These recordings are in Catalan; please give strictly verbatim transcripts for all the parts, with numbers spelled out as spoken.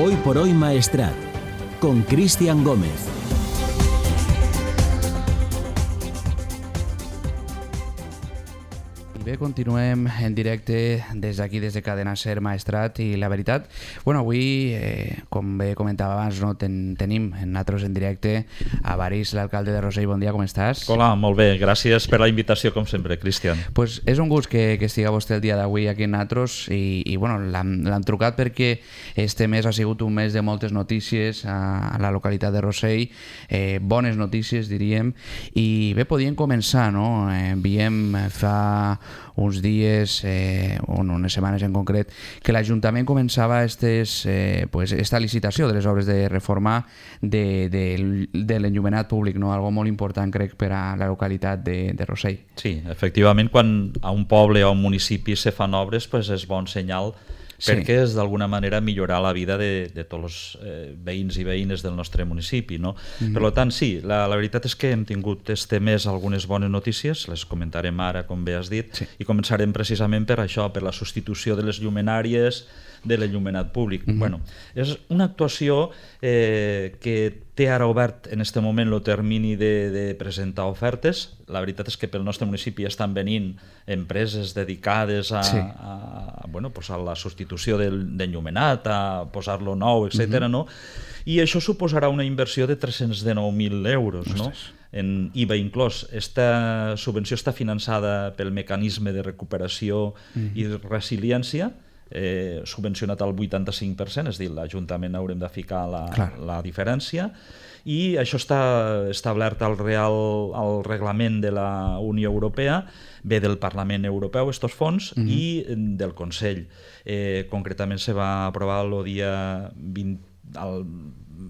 Hoy por hoy Maestrat, con Cristian Gómez. Bé, continuem en directe des d'aquí, des de Cadena Ser Maestrat, i la veritat, bueno, avui, eh, com bé comentava abans, no, ten, tenim en nosaltres en directe a Baris, l'alcalde de Rossell. Bon dia, com estàs? Hola, molt bé, gràcies per la invitació, com sempre, Cristian. Pues és un gust que, que estiga vostè el dia d'avui aquí en nosaltres, i, i bueno, l'han trucat perquè este mes ha sigut un mes de moltes notícies a, a la localitat de Rossell, eh, bones notícies, diríem, i bé, podíem començar, no? Eh, veiem fa uns dies, eh, o unes setmanes en concret, que l'Ajuntament començava estes, eh, pues, esta licitació de les obres de reforma de, de, de l'enllumenat públic, no? Algo molt important, crec, per a la localitat de, de Rossell. Sí, efectivament, quan a un poble o a un municipi se fan obres, pues és bon senyal, sí, perquè és d'alguna manera millorar la vida de, de tots els eh, veïns i veïnes del nostre municipi, no? Mm-hmm. Per tant, sí, la, la veritat és que hem tingut este mes algunes bones notícies, les comentarem ara, com bé has dit, sí, i començarem precisament per això, per la substitució de les llumenàries de l'enllumenat públic. Mm-hmm. Bueno, és una actuació eh, que té ara obert en aquest moment el termini de, de presentar ofertes. La veritat és que pel nostre municipi estan venint empreses dedicades a, sí, a, bueno, pues a la substitució d'enllumenat, a posar-lo nou, etcètera. Mm-hmm. No? I això suposarà una inversió de tres-cents dinou mil euros, no? En I V A inclòs. Esta subvenció està finançada pel mecanisme de recuperació, mm-hmm, i resiliència, eh, subvencionat al vuitanta-cinc per cent, és a dir, l'Ajuntament haurem de ficar la, la diferència, i això està establert al, real, al reglament de la Unió Europea, ve del Parlament Europeu, estos fons, mm-hmm, i del Consell. Eh, concretament se va aprovar el dia vint, el,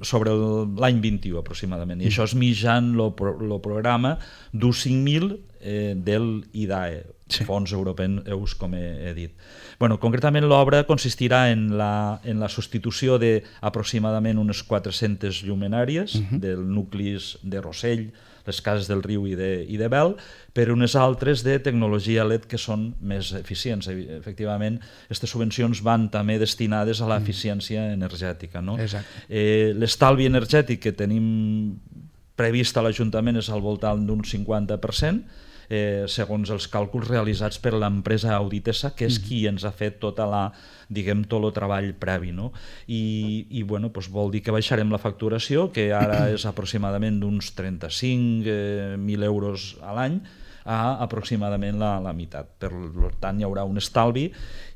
sobre l'any vint-i-u aproximadament, i mm-hmm, això és mitjan el pro, programa d'u cinc mil eh, del I D A E, sí, fons europeus, com he, he dit. Bueno, concretament l'obra consistirà en la, en la substitució d'aproximadament unes quatre-centes llumenàries, uh-huh, del nuclis de Rossell, les cases del Riu i de, i de Bel, per unes altres de tecnologia L E D que són més eficients. Efectivament, aquestes subvencions van també destinades a l'eficiència energètica, no? Eh, l'estalvi energètic que tenim previst a l'Ajuntament és al voltant d'un cinquanta per cent, Eh, segons els càlculs realitzats per l'empresa Auditesa, que és qui ens ha fet tota la, diguem, tot el treball previ, no? I, i bueno, doncs vol dir que baixarem la facturació, que ara és aproximadament d'uns trenta-cinc mil euros a l'any, a aproximadament la, la meitat. Per tant, hi haurà un estalvi,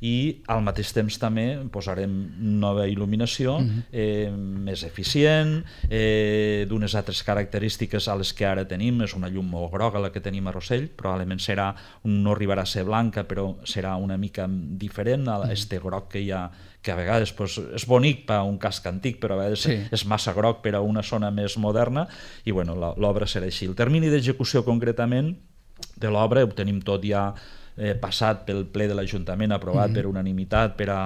i al mateix temps també posarem nova il·luminació, eh, més eficient, eh, d'unes altres característiques a les que ara tenim. És una llum molt groga la que tenim a Rossell, probablement serà, no arribarà a ser blanca, però serà una mica diferent a este groc que hi ha, que a vegades pues, és bonic per a un casc antic, però a vegades sí, és massa groc per a una zona més moderna, i bueno, l'obra serà així. El termini d'execució concretament de l'obra ho tenim tot ja eh, passat pel ple de l'Ajuntament, aprovat, mm-hmm, per unanimitat, per a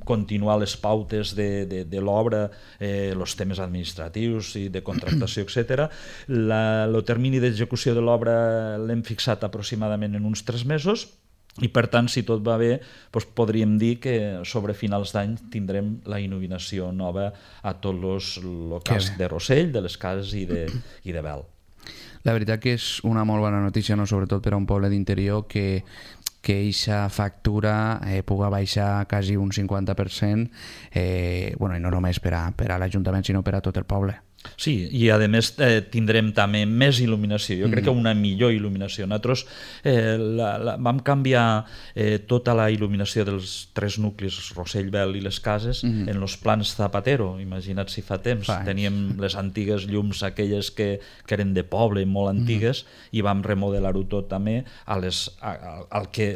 continuar les pautes de, de, de l'obra, eh, els temes administratius i de contractació, etcètera. El termini d'execució de l'obra l'hem fixat aproximadament en uns tres mesos, i per tant, si tot va bé, doncs podríem dir que sobre finals d'any tindrem la il·luminació nova a tots els locals de Rossell, de les cases i de, i de Bel. La veritat que és una molt bona notícia, no? Sobretot per a un poble d'interior, que que aquesta factura eh, pugui baixar quasi un cinquanta per cent, eh, bueno, i no només per a, per a l'Ajuntament, sinó per a tot el poble. Sí, i a més eh, tindrem també més il·luminació, jo mm. crec que una millor il·luminació. Nosaltres eh, la, la, vam canviar eh, tota la il·luminació dels tres nuclis, Rossell, Bel i les cases, mm. en els plans Zapatero. Imagina't si fa temps, fa teníem les antigues llums aquelles que, que eren de poble, molt antigues, mm. i vam remodelar-ho tot també a les, a, a, al que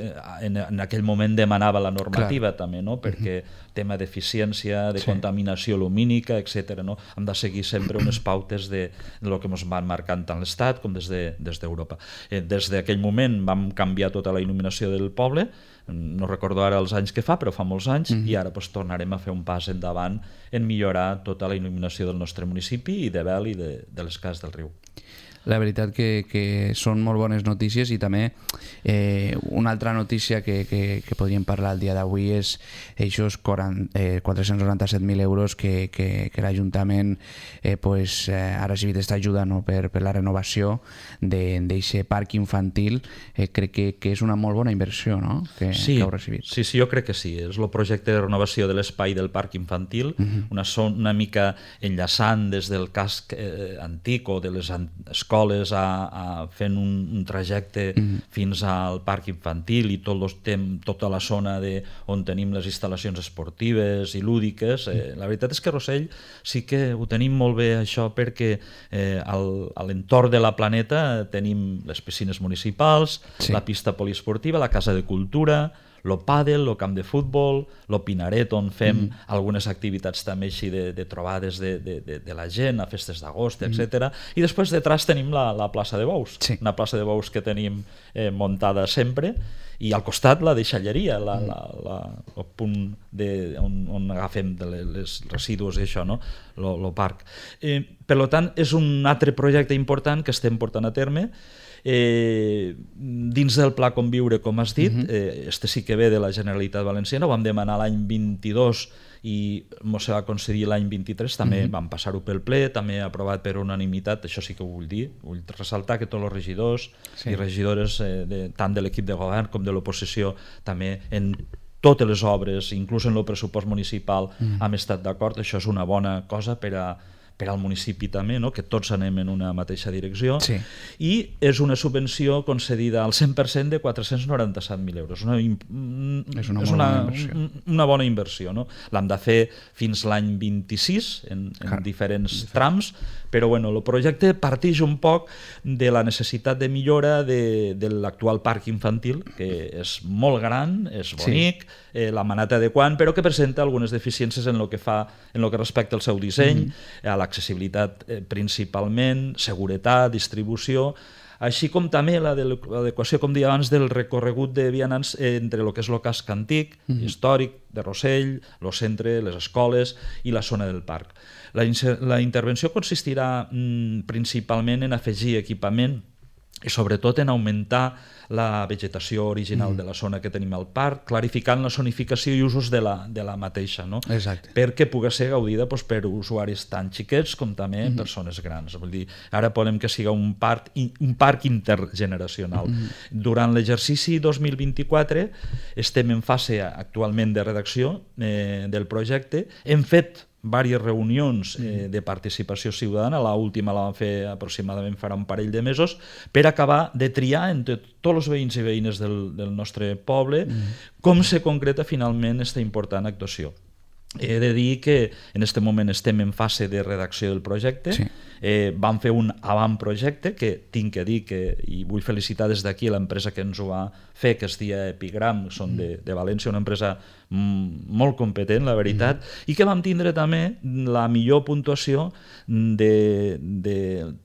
en, en aquell moment demanava la normativa. Clar. També, no? Perquè mm-hmm. tema d'eficiència, de sí. contaminació lumínica, etcètera. No? Hem de seguir sempre unes pautes de, de lo que ens van marcant tant l'Estat com des de, des d'Europa. Eh, des d'aquell moment vam canviar tota la il·luminació del poble, no recordo ara els anys que fa, però fa molts anys, mm-hmm. i ara pues, tornarem a fer un pas endavant en millorar tota la il·luminació del nostre municipi i de Bel i de, de les cases del riu. La veritat que, que són molt bones notícies i també eh, una altra notícia que, que, que podríem parlar el dia d'avui és aquests eh, quatre-cents noranta-set mil euros que, que, que l'Ajuntament eh, pues, eh, ha recibit aquesta ajuda, no? per, per la renovació d'aquest parc infantil. Eh, crec que, que és una molt bona inversió, no? que, sí, que heu recibit. Sí, sí, jo crec que sí. És el projecte de renovació de l'espai del parc infantil, uh-huh. una, son, una mica enllaçant des del casc eh, antic o de les escoles escoles a, a fent un, un trajecte mm. fins al parc infantil i tot los tem, tota la zona de, on tenim les instal·lacions esportives i lúdiques. Eh, la veritat és que Rossell sí que ho tenim molt bé això perquè eh, al, a l'entorn de la Planeta tenim les piscines municipals, sí. la pista poliesportiva, la casa de cultura, lo pàdel, lo camp de futbol, lo Pinaret, on fem mm. algunes activitats també així de, de trobades de, de, de, de la gent, a festes d'agost, mm. etcètera. I després detrás tenim la, la plaça de bous, sí. una plaça de bous que tenim eh, muntada sempre, i al costat la deixalleria, la, mm. la, la, el punt de, on, on agafem de les residus i això, no? lo, lo parc. Eh, per tant, és un altre projecte important que estem portant a terme. Eh, dins del Pla Conviure, com has dit, uh-huh. eh, este sí que ve de la Generalitat Valenciana, ho vam demanar l'any vint-i-dos i mos va concedir l'any vint-i-tres, també uh-huh. vam passar-ho pel ple, també aprovat per unanimitat, això sí que ho vull dir, vull ressaltar que tots els regidors sí. i regidores, eh, de, tant de l'equip de govern com de l'oposició, també en totes les obres, inclús en el pressupost municipal, uh-huh. hem estat d'acord. Això és una bona cosa per a per al municipi també, no? que tots anem en una mateixa direcció, sí. i és una subvenció concedida al cent per cent de quatre-cents noranta-set mil euros. Una, és una, és una, una, una bona inversió. No? L'hem de fer fins l'any vint-i-sis, en, en diferents trams, però bueno, el projecte parteix un poc de la necessitat de millora de, de l'actual parc infantil, que és molt gran, és bonic, sí. eh, l'hem anat adequant, però que presenta algunes deficiències en el que fa, en el que respecta al seu disseny, mm-hmm. a l'accessibilitat eh, principalment, seguretat, distribució, així com també l'adequació, com deia abans, del recorregut de vianants entre el que és el casc antic, mm-hmm. històric, de Rossell, el centre, les escoles i la zona del parc. La, la intervenció consistirà mm, principalment en afegir equipament i sobretot en augmentar la vegetació original mm. de la zona que tenim al parc, clarificant la zonificació i usos de la, de la mateixa, no? Exacte. Perquè pugui ser gaudida doncs, per usuaris tan xiquets com també mm. persones grans. Vull dir, ara podem que siga un parc, un parc intergeneracional. Mm. Durant l'exercici dos mil vint-i-quatre estem en fase actualment de redacció eh, del projecte. Hem fet diverses reunions eh, de participació ciutadana, l'última la vam fer aproximadament farà un parell de mesos, per acabar de triar entre tots els veïns i veïnes del, del nostre poble mm. com se concreta finalment aquesta important actuació. He de dir que en aquest moment estem en fase de redacció del projecte, sí. eh, vam fer un avantprojecte que tinc que dir que, i vull felicitar des d'aquí l'empresa que ens ho va fer, que es dia Epigram, són de, de València, una empresa mm, molt competent, la veritat, mm. i que vam tindre també la millor puntuació de, de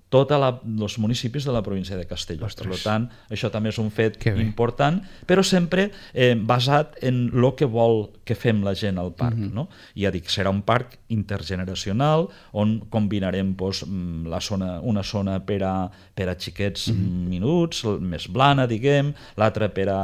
tots els municipis de la província de Castelló. Ostres. Per tant, això també és un fet important, però sempre eh, basat en el que vol que fem la gent al parc. Mm-hmm. No? I ja dic, serà un parc intergeneracional on combinarem pues, la zona, una zona per a, per a xiquets mm-hmm. minuts, més blana, diguem, l'altra per a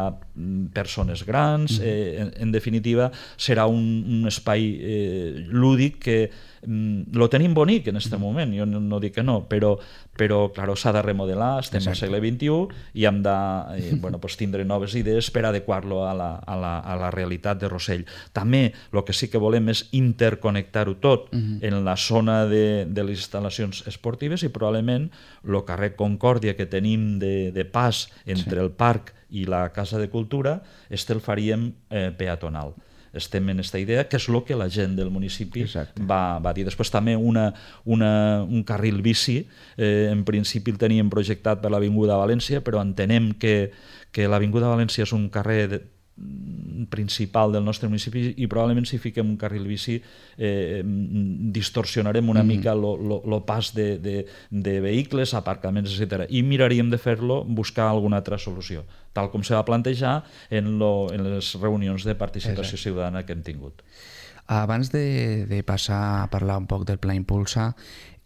persones grans. Mm-hmm. eh, en, en definitiva, serà un, un espai eh, lúdic que lo tenim bonic en aquest moment, jo no, no dic que no, però, però clar, s'ha de remodelar, estem Exacte. Al segle vint-i-u i hem de eh, bueno, pues, tindre noves idees per adequar-lo a la, a, la, a la realitat de Rossell. També el que sí que volem és interconnectar-ho tot uh-huh. en la zona de, de les instal·lacions esportives i probablement el carrer Concòrdia que tenim de, de pas entre sí. el parc i la Casa de Cultura, este el faríem eh, peatonal. Estem en aquesta idea, que és el que la gent del municipi va, va dir. Després també una, una, un carril bici, eh, en principi el teníem projectat per l'Avinguda València, però entenem que, que l'Avinguda València és un carrer de, principal del nostre municipi i probablement si fiquem un carril bici eh, distorsionarem una mm. mica el pas de, de, de vehicles, aparcaments, etcètera. I miraríem de fer-lo, buscar alguna altra solució, tal com se va plantejar en, lo, en les reunions de participació Exacte. Ciutadana que hem tingut. Abans de, de passar a parlar un poc del Pla Impulsa,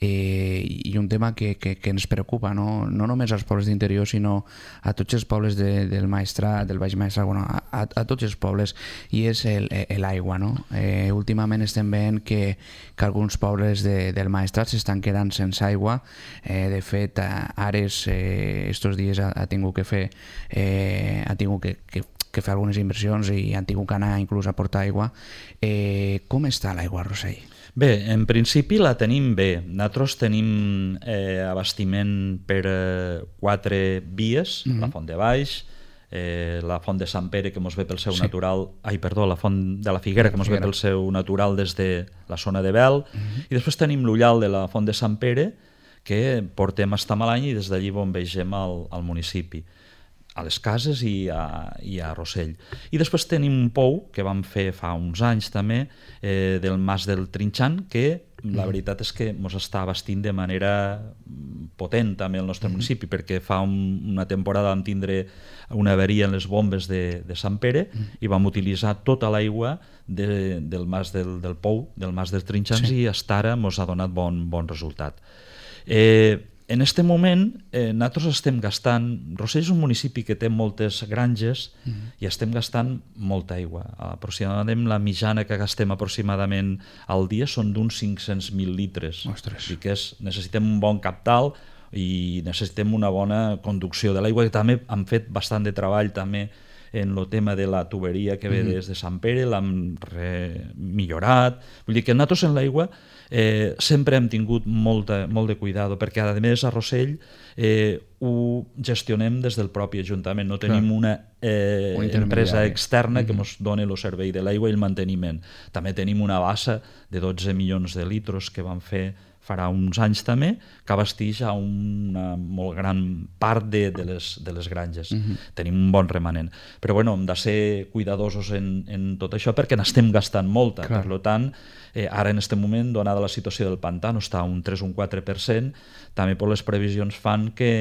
eh, i un tema que, que, que ens preocupa, no, no només als pobles d'interior, sinó a tots els pobles de, del Maestrat, del Baix Maestrat, bueno, a, a tots els pobles, i és l'aigua. No? Eh, últimament estem veient que, que alguns pobles de, del Maestrat s'estan quedant sense aigua. Eh, de fet, Ares eh, estos dies ha, ha tingut que fer eh, ha tingut que, que que fer algunes inversions i han tingut que anar inclús a portar aigua. Eh, com està l'aigua a Rossell? Bé, en principi la tenim bé. Nosaltres tenim eh, abastiment per eh, quatre vies, mm-hmm. la Font de Baix, eh, la Font de Sant Pere, que mos ve pel seu sí. natural... Ai, perdó, la Font de la Figuera, que mos ve pel seu natural des de la zona de Bel, mm-hmm. i després tenim l'Ullal de la Font de Sant Pere, que portem a Malany i des d'allí bombegem al, al municipi, a les cases i a, i a Rossell. I després tenim un pou que vam fer fa uns anys també, eh, del Mas del Trinxant, que la veritat és que ens està abastint de manera potent també el nostre municipi, perquè fa un, una temporada vam tindre una avaria en les bombes de, de Sant Pere i vam utilitzar tota l'aigua de, del Mas del, del pou, del Mas dels Trinxants, sí. i fins ara ens ha donat bon, bon resultat. Eh, En aquest moment, eh, nosaltres estem gastant... Rossell és un municipi que té moltes granges mm. i estem gastant molta aigua. Aproximadament la mitjana que gastem aproximadament al dia són d'uns cinc-cents mil litres. Ostres. I que és, necessitem un bon captal i necessitem una bona conducció de l'aigua, que també han fet bastant de treball també en el tema de la tuberia que ve mm-hmm. des de Sant Pere, l'hem millorat. Vull dir que nosaltres en l'aigua eh, sempre hem tingut molta, molt de cuidado, perquè a més a Rossell eh, ho gestionem des del propi Ajuntament, no tenim Clar. una eh, empresa externa que ens doni el servei de l'aigua i el manteniment. També tenim una bassa de dotze milions de litros que vam fer farà uns anys també, que abasteix a una molt gran part de, de, les, de les granges. Uh-huh. Tenim un bon remanent. Però bueno, hem de ser cuidadosos en, en tot això perquè n'estem gastant molta. Clar. Per tant, eh, ara en aquest moment, donada la situació del pantà, no està un tres o un quatre per cent, també per les previsions fan que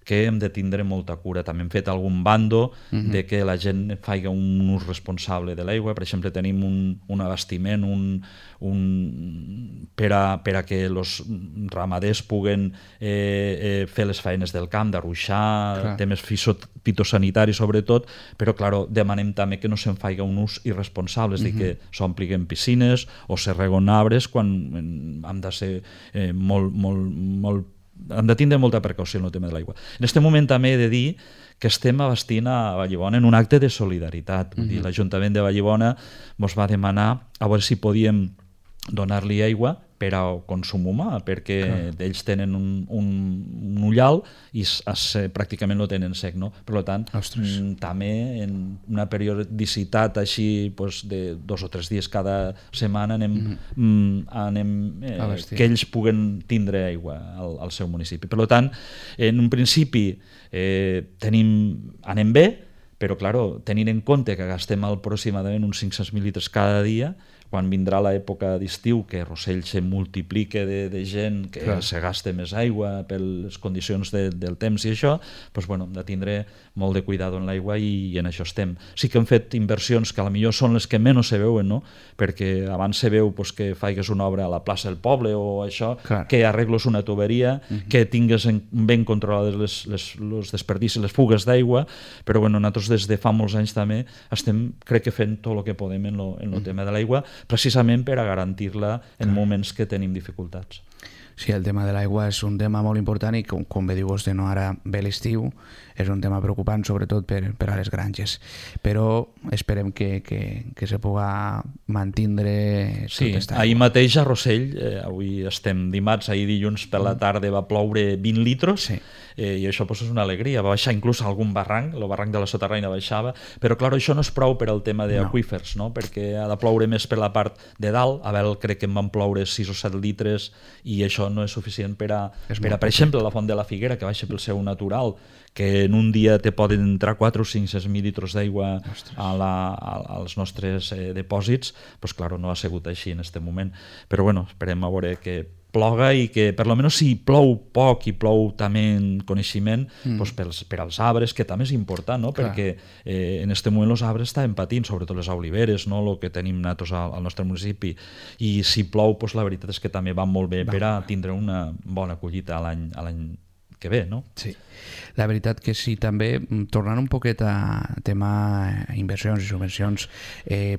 que hem de tindre molta cura. També hem fet algun bando uh-huh. de que la gent faci un ús responsable de l'aigua. Per exemple, tenim un, un abastiment un, un, per, a, per a que els ramaders puguen eh, eh, fer les feines del camp, d'arruixar, temes fitosanitaris sobretot, però clar, demanem també que no se'n faci un ús irresponsable, és uh-huh. dir, que s'ompliguin piscines o se reguen arbres quan hem de ser eh, molt, molt, molt hem de tindre molta precaució en el tema de l'aigua. En aquest moment també he de dir que estem abastint a Vallibona en un acte de solidaritat. Vull dir, l'Ajuntament de Vallibona ens va demanar a veure si podíem donar-li aigua per a consum humà, perquè Clar. ells tenen un, un, un ullal i es, es, pràcticament no tenen sec, no? Per tant, m, també en una periodicitat així pues, de dos o tres dies cada setmana anem, mm-hmm. m, anem eh, que ells puguen tindre aigua al, al seu municipi. Per tant, en un principi eh, tenim, anem bé, però claro, tenint en compte que gastem aproximadament uns cinc-cents mil litres cada dia, quan vindrà l'època d'estiu, que Rossell se multiplica de, de gent, que Clar. se gasta més aigua per les condicions de, del temps i això, doncs, bueno, hem de tindre molt de cuidado en l'aigua i, i en això estem. Sí que hem fet inversions que a la millor són les que menys se veuen, no? Perquè abans se veu pues, que faigues una obra a la plaça del poble o això, Clar. que arregles una tuberia, uh-huh. que tingues en, ben controlades les, les, les desperdicis, les fugues d'aigua, però bueno, nosaltres des de fa molts anys també estem, crec que fent tot el que podem en el uh-huh. tema de l'aigua, precisament per a garantir-la en Clar. moments que tenim dificultats. Sí, el tema de l'aigua és un tema molt important i com, com bé diu vostè, no, ara ve l'estiu, és un tema preocupant sobretot per, per a les granges, però esperem que, que, que se puga mantindre sí, tot esta ahir mateix a Rossell, eh, avui estem dimarts, ahir dilluns per la tarda va ploure vint litros, sí. eh, i això pues, és una alegria, va baixar inclús algun barranc, el barranc de la Soterraina baixava, però clar, això no és prou per al tema d'aqüífers, no. no? perquè ha de ploure més per la part de dalt, a veure, crec que en van ploure sis o set litres i això no és suficient per a, per, a, per exemple, la Font de la Figuera, que baixa pel seu natural, que en un dia te poden entrar quatre o cinc mil litres d'aigua a la, a, als nostres eh, dipòsits, doncs clar, no ha sigut així en aquest moment. Però bueno, esperem a veure que ploga i que per lo menos si plou poc i plou també en coneixement mm. pues pels, per als arbres, que també és important, no? Perquè eh, en este moment els arbres estaven patint, sobretot les oliveres, no? El que tenim nosaltres al, al nostre municipi, i si plou pues la veritat és que també va molt bé va. Per a tindre una bona collita a l'any a l'any que ve, no? Sí, la veritat que sí. També, tornant un poquet a tema inversions i subvencions, eh,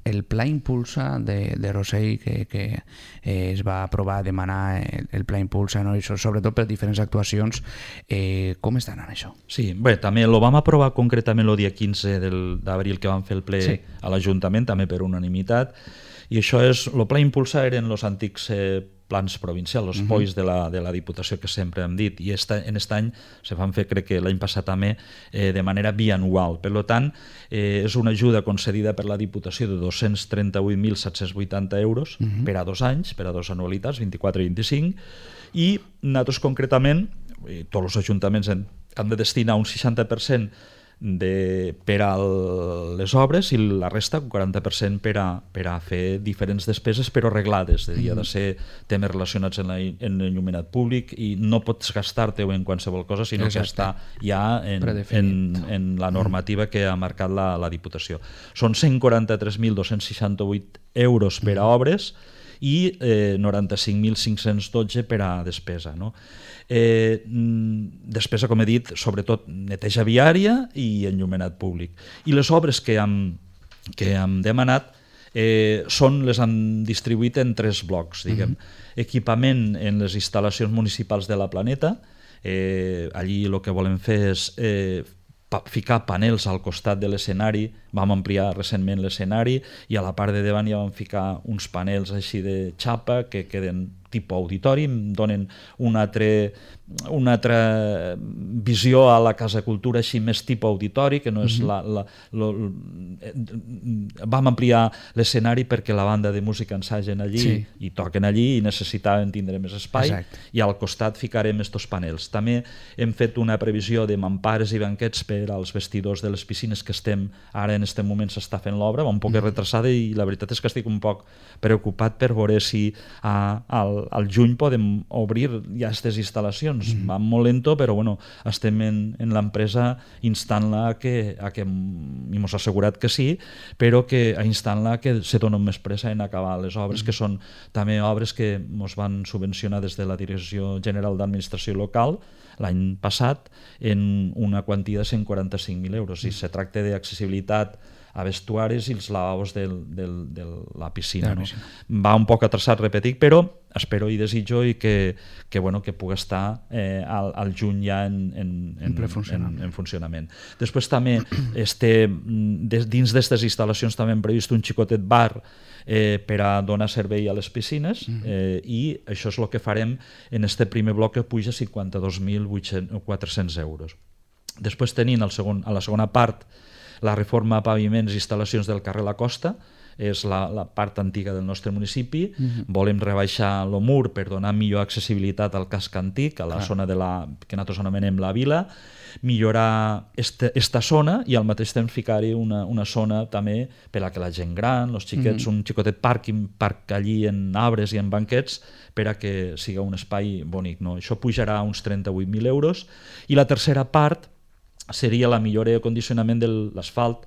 el Pla Impulsa de, de Rossell, que, que eh, es va aprovar a demanar el, el Pla Impulsa, no? I sobretot per diferents actuacions, eh, com estan en això? Sí, bé, també lo vam aprovar concretament el dia quinze d'abril, que vam fer el ple sí. a l'Ajuntament, també per unanimitat, i això és, el Pla Impulsa eren els antics eh, plans provincials, els uh-huh. P O Is de la, de la Diputació, que sempre hem dit, i esta, en aquest any se van fer, crec que l'any passat també, eh, de manera bianual. Per tant, eh, és una ajuda concedida per la Diputació de dos-cents trenta-vuit mil set-cents vuitanta euros uh-huh. per a dos anys, per a dos anualitats, vint-i-quatre i vint-i-cinc, i nosaltres concretament, eh, tots els ajuntaments han, han de destinar un seixanta per cent de, per a les obres i la resta, un quaranta per cent per a, per a fer diferents despeses però reglades, de dia de ser temes relacionats en l'enllumenat públic, i no pots gastar-te-ho en qualsevol cosa, sinó Exacte. Que està ja en, en, en la normativa que ha marcat la, la Diputació. Són cent quaranta-tres mil dos-cents seixanta-vuit euros per a obres i eh, noranta-cinc mil cinc-cents dotze per a despesa, no? Eh, despesa, com he dit, sobretot neteja viària i enllumenat públic. I les obres que hem, que hem demanat eh, són, les han distribuït en tres blocs, diguem. Uh-huh. Equipament en les instal·lacions municipals de la Planeta, eh, allí el que volem fer és eh, ficar panels al costat de l'escenari, vam ampliar recentment l'escenari i a la part de davant ja vam ficar uns panels així de xapa que queden tipus auditori, donen una altra, una altra visió a la Casa Cultura així més tipus auditori, que no és la, la, la, la... Vam ampliar l'escenari perquè la banda de música ensagen allí sí. i toquen allí i necessitaven tindre més espai. Exacte. I al costat ficarem estos panels. També hem fet una previsió de mampares i banquets per als vestidors de les piscines, que estem ara en aquest moment s'està fent l'obra, va un poc retrasada, i la veritat és que estic un poc preocupat per veure si a, al, al juny podem obrir ja aquestes instal·lacions. Mm. Va molt lento, però bueno, estem en, en l'empresa instant-la a que, a que i mos ha assegurat que sí, però que a instant-la que se dona més pressa en acabar les obres, mm. que són també obres que mos van subvencionar des de la Direcció General d'Administració Local l'any passat en una quantia de cent quaranta-cinc mil euros. I se tracta d'accessibilitat a vestuaris i els lavabos del, del, de la piscina. No? Va un poc atrasat, repetit, però espero i desitjo i que, que, bueno, que pugui estar eh, al, al juny ja en, en, en, en, en funcionament. Després també este, dins d'aquestes instal·lacions també hem previst un xicotet bar eh, per a donar servei a les piscines, eh, i això és el que farem en este primer bloc, que puja cinquanta-dos mil quatre-cents euros. Després tenim el segon, a la segona part la reforma a paviments i instal·lacions del carrer La Costa, és la, la part antiga del nostre municipi. Uh-huh. Volem rebaixar el mur per donar millor accessibilitat al casc antic, a la Clar. Zona de la, que nosaltres anomenem la Vila, millorar este, esta zona i al mateix temps ficar-hi una, una zona també per a que la gent gran, els xiquets, uh-huh. un xicotet parc, parc allí en arbres i en banquets, per a que siga un espai bonic. No? Això pujarà uns trenta-vuit mil euros. I la tercera part seria la millora i acondicionament de l'asfalt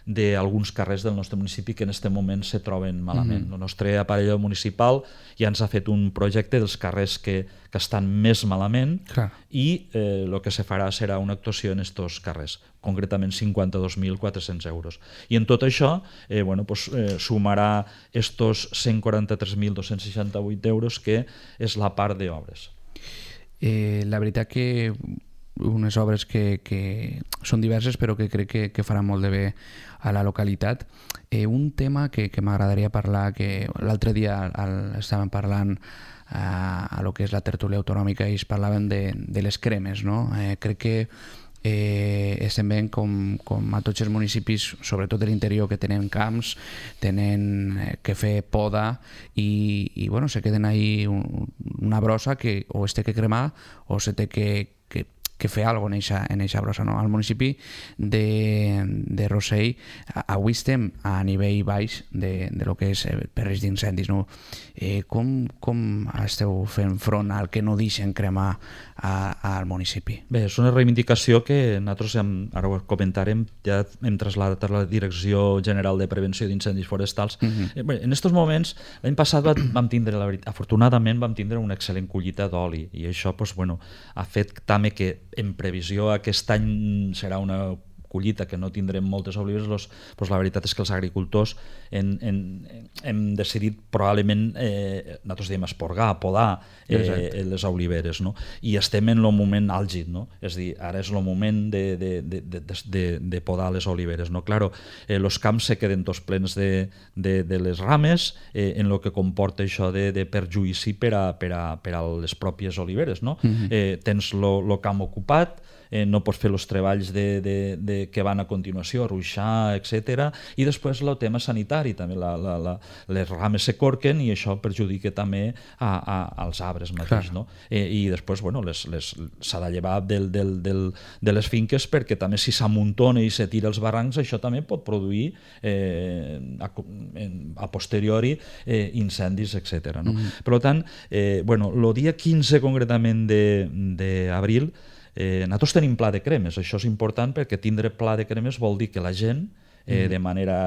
d'alguns carrers del nostre municipi que en aquest moment se troben malament. Mm-hmm. El nostre aparell municipal ja ens ha fet un projecte dels carrers que, que estan més malament. Clar. I eh, el que se farà serà una actuació en aquests carrers, concretament cinquanta-dos mil quatre-cents euros. I en tot això eh, bueno, pues, eh, sumarà estos cent quaranta-tres mil dos-cents seixanta-vuit euros, que és la part d'obres. Eh, la veritat que unes obres que, que són diverses però que crec que, que faran molt de bé a la localitat. Eh, un tema que, que m'agradaria parlar, que l'altre dia el, estàvem parlant a, a lo que és la tertúlia autonòmica i es parlaven de, de les cremes, no? Eh, crec que eh, estem veient com, com a tots els municipis, sobretot de l'interior, que tenen camps, tenen eh, que fer poda i, i bueno, se queden ahí un, una brossa que o es té que cremar o se té que, que que fer alguna cosa en eixa brossa. No? Al municipi de, de Rossell avui estem a nivell baix de, de lo que és per risc d'incendis. No? Eh, com, com esteu fent front al que no deixen cremar a, al municipi? Bé, és una reivindicació que nosaltres, hem, ara ho comentarem, ja hem traslladat a la Direcció General de Prevenció d'Incendis Forestals. Uh-huh. eh, bé, en aquests moments, l'any passat vam tindre, la veritat, afortunadament vam tindre una excel·lent collita d'oli i això pues, bueno, ha fet també que en previsió aquest any serà una collita que no tindrem moltes oliveres, los, pues la veritat és que els agricultors en, en, hem decidit probablement, eh, nosaltres diem esporgar, podar eh, les oliveres, no? I estem en el moment àlgid, no? És a dir, ara és el moment de, de, de, de, de, de podar les oliveres, no? Claro, eh, los camps se queden tots plens de, de, de les rames, eh, en el que comporta això de, de perjuïci per a, per, a, per a les pròpies oliveres, no? Mm-hmm. eh, tens el camp ocupat, Eh, no pots fer els treballs de, de, de, que van a continuació, ruixar, etcètera. I després el tema sanitari, també la, la, la, les rames se corquen i això perjudica també a, a, als arbres mateix. No? Eh, I després bueno, les, les, s'ha de llevar del, del, del, de les finques perquè també si s'amuntona i se tira els barrancs, això també pot produir eh, a, a posteriori eh, incendis, etcètera. No? Mm. Per tant, eh, bueno, el dia quinze concretament d'abril Eh, nosaltres tenim pla de cremes, això és important perquè tindre pla de cremes vol dir que la gent, eh, de manera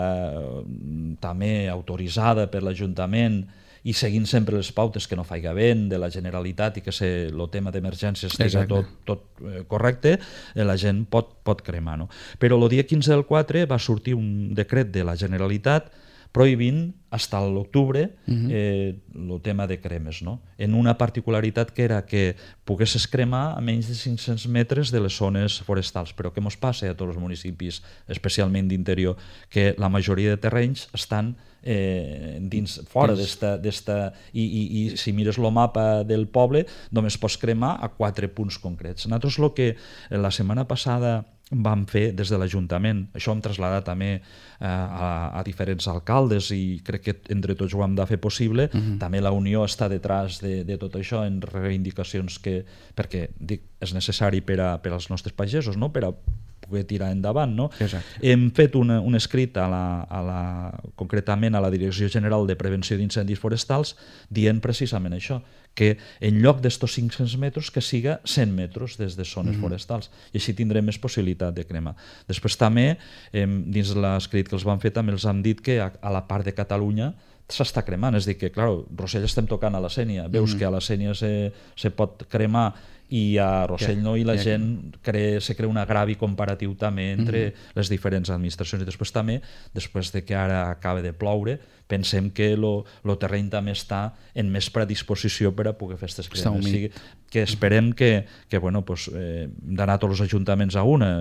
també autoritzada per l'Ajuntament i seguint sempre les pautes que no faiga vent de la Generalitat i que el tema d'emergència estigui tot, tot eh, correcte, eh, la gent pot, pot cremar. No? Però el dia quinze del quatre va sortir un decret de la Generalitat prohibint fins a l'octubre eh, el tema de cremes, no? En una particularitat que era que poguessis cremar a menys de cinc-cents metres de les zones forestals. Però què ens passa a tots els municipis, especialment d'interior? Que la majoria de terrenys estan eh, dins, fora d'esta... I, i, I si mires el mapa del poble, només pots cremar a quatre punts concrets. Nosaltres el que la setmana passada vam fer des de l'Ajuntament, això hem traslladat també eh, a, a diferents alcaldes i crec que entre tots ho hem de fer possible. Uh-huh. També la Unió està detrás de, de tot això en reivindicacions que, perquè dic, és necessari per, a, per als nostres pagesos, no? Per a poder tirar endavant. No? Hem fet una, un escrit a la, a la, concretament a la Direcció General de Prevenció d'Incendis Forestals dient precisament això, que en lloc d'estos cinc-cents metres que siga cent metres des de zones mm. forestals i així tindrem més possibilitat de cremar. Després també, eh, dins l'escrit que els van fer, també els han dit que a, a la part de Catalunya s'està cremant, és a dir que, clar, Rossell estem tocant a la Sénia, veus mm. que a la Sénia se, se pot cremar i a Rossell no, i la gent crea, se crea un agravi comparatiu també entre mm-hmm. les diferents administracions. I després també, després de que ara acaba de ploure, pensem que el terreny també està en més predisposició per a poder fer aquestes cremes. O sigui, que esperem que, que bueno, pues, eh, d'anar tots els ajuntaments a una.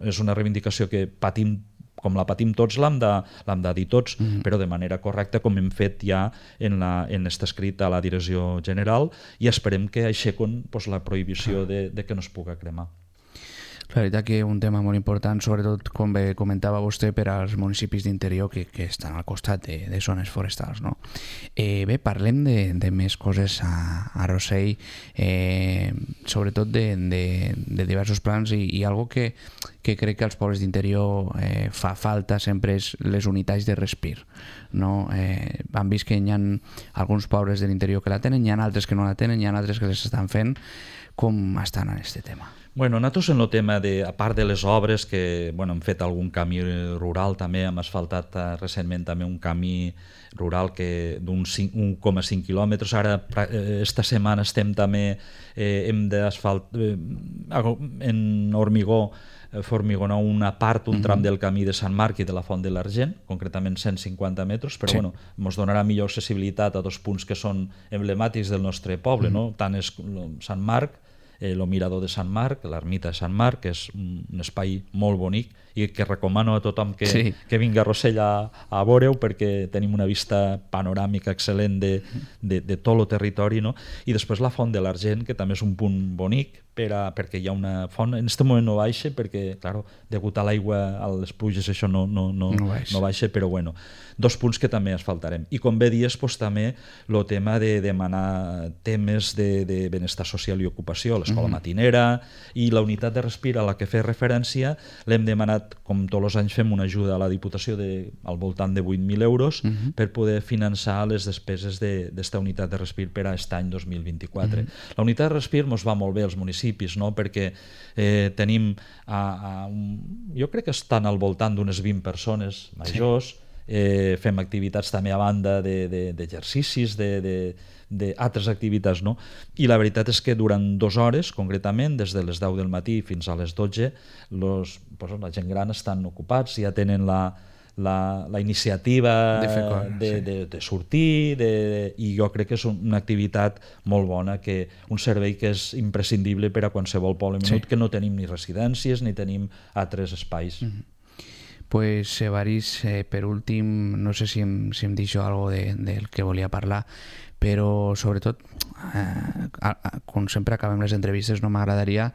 És una reivindicació que patim com la patim tots, l'hem de, l'hem de dir tots, mm-hmm. però de manera correcta, com hem fet ja en, la, en este escrit a la Direcció General, i esperem que aixequen pues, la prohibició de, de que no es pugui cremar. La veritat que un tema molt important, sobretot com bé comentava vostè, per als municipis d'interior que, que estan al costat de, de zones forestals. No? Eh, bé, parlem de, de més coses a, a Rossell, eh, sobretot de, de, de diversos plans i, i algo que, que crec que als pobles d'interior eh, fa falta sempre és les unitats de respir. No? Eh, han vist que hi ha alguns pobles de l'interior que la tenen, hi ha altres que no la tenen, hi ha altres que les estan fent. Com estan en aquest tema? Bueno, nosaltres en el tema, de, a part de les obres, que bueno, hem fet algun camí rural també, hem asfaltat uh, recentment també un camí rural que d'un un coma cinc quilòmetres, ara eh, esta setmana estem també, eh, hem d'asfalt eh, en hormigó, eh, formigonar una part, un tram del camí de Sant Marc i de la Font de l'Argent, concretament cent cinquanta metres, però sí. bueno, ens donarà millor accessibilitat a dos punts que són emblemàtics del nostre poble, mm-hmm. no? Tant és Sant Marc, el eh, mirador de Sant Marc, l'ermita de Sant Marc, que és un espai molt bonic i que recomano a tothom que, sí. que vingui a Rossell a, a veure-ho perquè tenim una vista panoràmica excel·lent de, de, de tot el territori, no? I després la Font de l'Argent, que també és un punt bonic, per a, perquè hi ha una font, en aquest moment no baixa perquè, claro, degut a l'aigua, a les pluges, això no, no, no, no, baixa. no baixa, però bueno, dos punts que també asfaltarem. I com bé dies, pues, també el tema de demanar temes de, de benestar social i ocupació, l'escola mm-hmm. matinera i la unitat de respir a la que fer referència, l'hem demanat, com tots els anys fem una ajuda a la Diputació de, al voltant de vuit mil euros mm-hmm. per poder finançar les despeses d'esta de, unitat de respir per a aquest any dos mil vint-i-quatre. Mm-hmm. La unitat de respir ens va molt bé als municipis, no? Perquè eh, tenim, a, a un, jo crec que estan al voltant d'unes vint persones majors, sí. eh, fem activitats també a banda d'exercicis, de, de, de, d'altres activitats, no? I la veritat és que durant dues hores, concretament, des de les deu del matí fins a les dotze, los, pues, la gent gran estan ocupats, ja tenen la La, la iniciativa de, cor, de, sí. de, de sortir de, de, i jo crec que és una activitat molt bona, que un servei que és imprescindible per a qualsevol poble menut, sí. que no tenim ni residències ni tenim altres espais. Mm-hmm. Pues Evarist, eh, per últim, no sé si em, si em deixo algo de, del que volia parlar, però sobretot, eh, a, a, com sempre acabem les entrevistes, no m'agradaria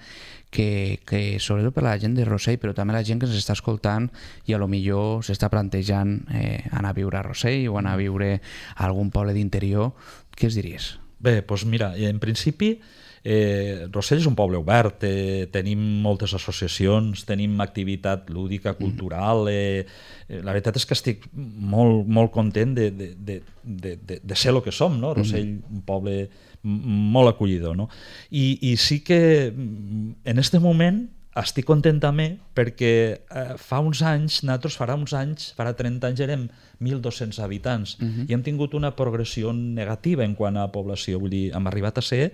que, que sobretot per la gent de Rossell, però també la gent que ens està escoltant i a lo millor s'està plantejant eh, anar a viure a Rossell o anar a viure a algun poble d'interior, què es diries? Bé, doncs mira, en principi Eh, Rossell és un poble obert, eh, tenim moltes associacions, tenim activitat lúdica, cultural, eh, eh, la veritat és que estic molt, molt content de, de, de, de, de, de ser el que som, no? Rossell, un poble molt acollidor, no? I, i sí que en aquest moment estic content també perquè eh, fa uns anys, nosaltres farà uns anys, farà trenta anys érem mil dos-cents habitants uh-huh. i hem tingut una progressió negativa en quant a població, vull dir, hem arribat a ser,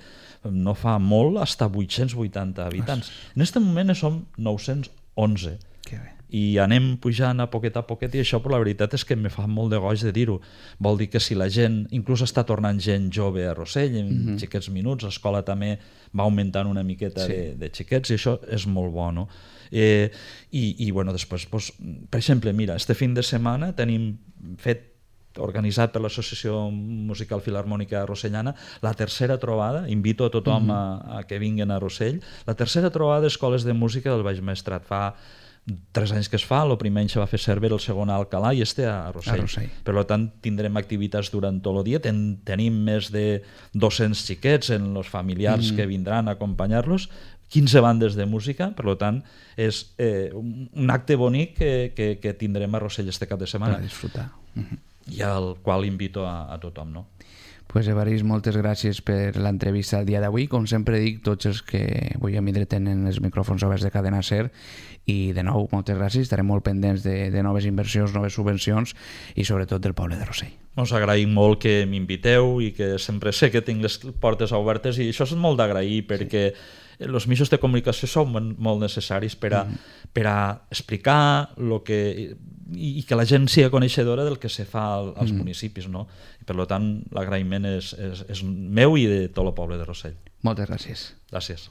no fa molt, fins a vuit-cents vuitanta habitants. Ostres. En aquest moment som nou-cents onze. Que bé. I anem pujant a poquet a poquet i això, però la veritat és que me fa molt de goig de dir-ho. Vol dir que si la gent, inclús està tornant gent jove a Rossell en mm-hmm. xiquets minuts, l'escola també va augmentant una miqueta sí. de, de xiquets i això és molt bo, no? Eh, i, i bueno, després, doncs, per exemple, mira, este fin de setmana tenim fet organitzat per l'Associació Musical Filharmònica Rossellana, la tercera trobada, invito a tothom mm-hmm. a, a que vinguin a Rossell, la tercera trobada d'escoles de música del Baix Maestrat. Fa tres anys que es fa, el primer any se va fer Cervera, el segon a Alcalà i este a Rossell. a Rossell. Per tant, tindrem activitats durant tot el dia, Ten, tenim més de dos-cents xiquets en els familiars mm. que vindran a acompanyar-los, quinze bandes de música, per tant, és eh, un acte bonic que, que, que tindrem a Rossell este cap de setmana. Per disfrutar. Mm-hmm. I al qual invito a, a tothom, no? Pues Evarist, moltes gràcies per l'entrevista el dia d'avui. Com sempre dic, tots els que avui a vindre tenen els micròfons oberts de Cadena Ser i de nou, moltes gràcies. Estarem molt pendents de, de noves inversions, noves subvencions i sobretot del poble de Rossell. Us agraïm molt que m'inviteu i que sempre sé que tinc les portes obertes i això és molt d'agrair perquè sí. els mitjans de comunicació són molt necessaris per a, mm. per a explicar lo que, i, i que la gent sigui coneixedora del que se fa als mm. municipis, no? I per tant, l'agraïment és, és, és meu i de tot el poble de Rossell. Moltes gràcies. Gràcies.